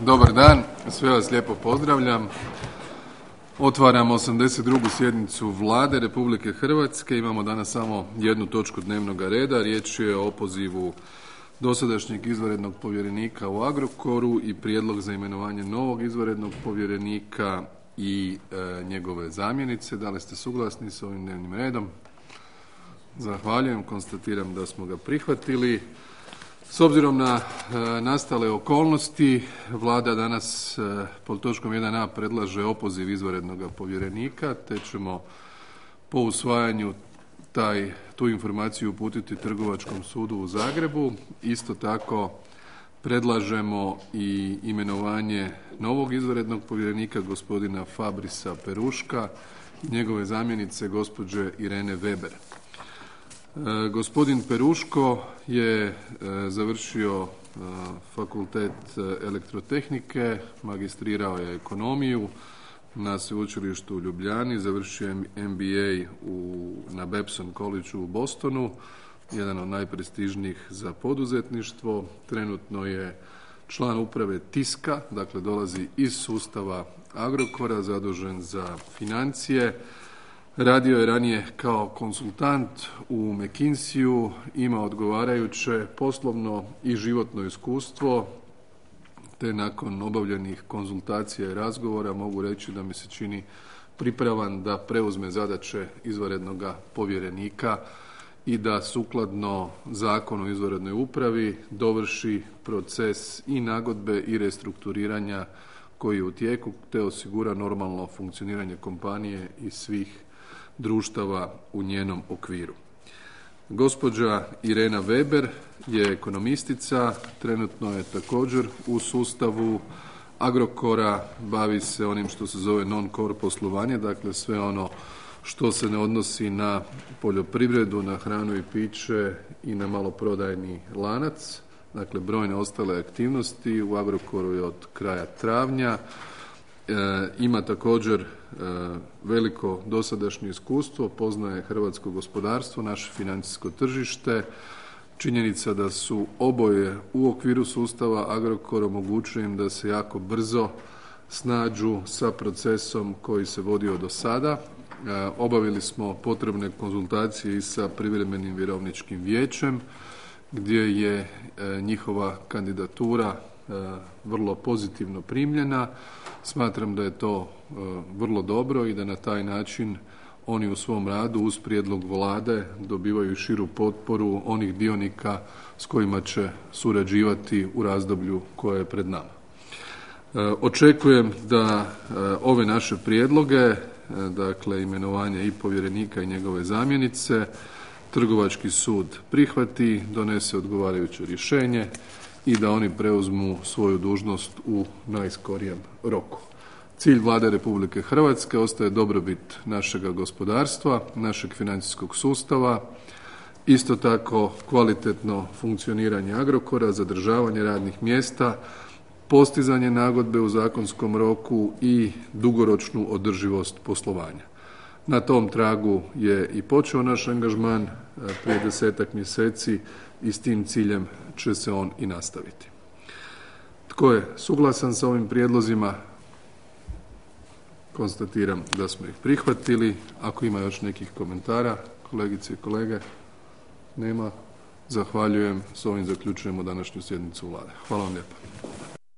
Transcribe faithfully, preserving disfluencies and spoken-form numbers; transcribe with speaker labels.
Speaker 1: Dobar dan, sve vas lijepo pozdravljam. Otvaram osamdeset drugu sjednicu Vlade Republike Hrvatske. Imamo danas samo jednu točku dnevnog reda. Riječ je o opozivu dosadašnjeg izvanrednog povjerenika u Agrokoru i prijedlog za imenovanje novog izvanrednog povjerenika i e, njegove zamjenice. Da li ste suglasni s ovim dnevnim redom? Zahvaljujem, konstatiram da smo ga prihvatili. S obzirom na e, nastale okolnosti, Vlada danas e, pod točkom jedan a predlaže opoziv izvanrednog povjerenika, te ćemo po usvajanju taj, tu informaciju uputiti Trgovačkom sudu u Zagrebu. Isto tako predlažemo i imenovanje novog izvanrednog povjerenika gospodina Fabrisa Peruška i njegove zamjenice gospođe Irene Weber. E, gospodin Peruško je e, završio e, fakultet elektrotehnike, magistrirao je ekonomiju na sveučilištu u Ljubljani, završio je M B A u, na Babson Collegeu u Bostonu, jedan od najprestižnijih za poduzetništvo. Trenutno je član uprave Tiska, dakle dolazi iz sustava Agrokora, zadužen za financije. Radio je ranije kao konzultant u McKinseyu, ima odgovarajuće poslovno i životno iskustvo, te nakon obavljenih konzultacija i razgovora mogu reći da mi se čini pripravan da preuzme zadaće izvanrednog povjerenika i da sukladno Zakonu o izvanrednoj upravi dovrši proces i nagodbe i restrukturiranja koji je u tijeku, te osigura normalno funkcioniranje kompanije i svih društava u njenom okviru. Gospođa Irena Weber je ekonomistica, trenutno je također u sustavu Agrokora, bavi se onim što se zove non-core poslovanje, dakle sve ono što se ne odnosi na poljoprivredu, na hranu i piće i na maloprodajni lanac, dakle brojne ostale aktivnosti. U Agrokoru je od kraja travnja. E, ima također e, veliko dosadašnje iskustvo, poznaje hrvatsko gospodarstvo, naše financijsko tržište. Činjenica da su oboje u okviru sustava Agrokor omogućuje im da se jako brzo snađu sa procesom koji se vodio do sada. E, obavili smo potrebne konzultacije i sa privremenim vjerovničkim vijećem, gdje je e, njihova kandidatura e, vrlo pozitivno primljena. Smatram da je to e, vrlo dobro i da na taj način oni u svom radu uz prijedlog Vlade dobivaju širu potporu onih dionika s kojima će surađivati u razdoblju koje je pred nama. E, očekujem da e, ove naše prijedloge, e, dakle imenovanje i povjerenika i njegove zamjenice, Trgovački sud prihvati, donese odgovarajuće rješenje i da oni preuzmu svoju dužnost u najskorijem roku. Cilj Vlade Republike Hrvatske ostaje dobrobit našega gospodarstva, našeg financijskog sustava, isto tako kvalitetno funkcioniranje Agrokora, zadržavanje radnih mjesta, postizanje nagodbe u zakonskom roku i dugoročnu održivost poslovanja. Na tom tragu je i počeo naš angažman prije desetak mjeseci i s tim ciljem će se on i nastaviti. Tko je suglasan sa ovim prijedlozima? Konstatiram da smo ih prihvatili. Ako ima još nekih komentara, kolegice i kolege, nema. Zahvaljujem. S ovim zaključujemo današnju sjednicu Vlade. Hvala vam lijepa.